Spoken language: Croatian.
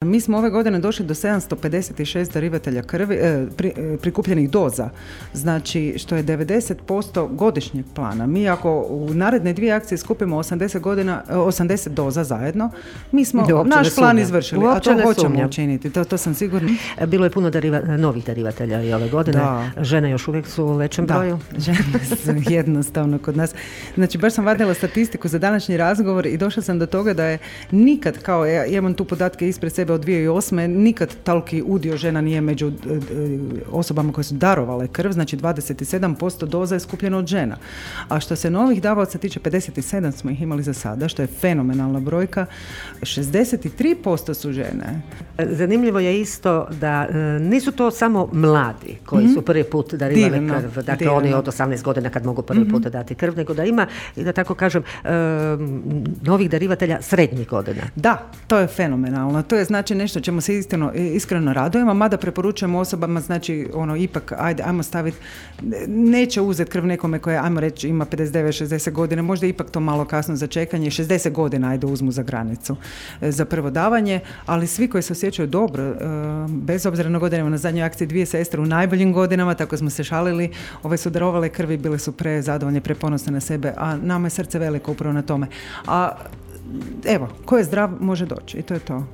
Mi smo ove godine došli do 756 darivatelja krvi, prikupljenih doza, znači što je 90% godišnjeg plana. Mi ako u naredne 2 akcije skupimo 80 doza zajedno, mi smo naš plan izvršili, a to hoćemo učiniti, to sam sigurna. Bilo je puno novih darivatelja i ove godine. Da. Žene još uvijek su u većem broju. Žene su jednostavno kod nas. Znači baš sam vadila statistiku za današnji razgovor i došla sam do toga da je nikad, kao ja imam tu podatke ispred sebe od 2008. nikad toliki udio žena nije među osobama koje su darovale krv, znači 27% doza je skupljeno od žena. A što se novih davaoca tiče, 57 smo ih imali za sada, što je fenomenalna brojka, 63% su žene. Zanimljivo je isto da nisu to samo mladi koji su prvi put darivali krv, dakle oni od 18 godina kad mogu prvi put dati krv, nego da ima, da tako kažem, novih darivatelja srednjih godina. Da, to je fenomenalno. To je znači nešto čemu se iskreno radujemo, mada preporučujemo osobama, znači ipak ajmo staviti, neće uzeti krv nekome koje, ajmo reći, ima 59-60 godina, možda ipak to malo kasno za čekanje, 60 godina uzmu za granicu za prvo davanje, ali svi koji se osjećaju dobro, bez obzira na godinama, na zadnjoj akciji 2 sestre u najboljim godinama, tako smo se šalili, su darovale krvi, bile su prezadovoljne, preponosne na sebe, a nama je srce veliko upravo na tome. A evo, ko je zdrav može doći i to je to.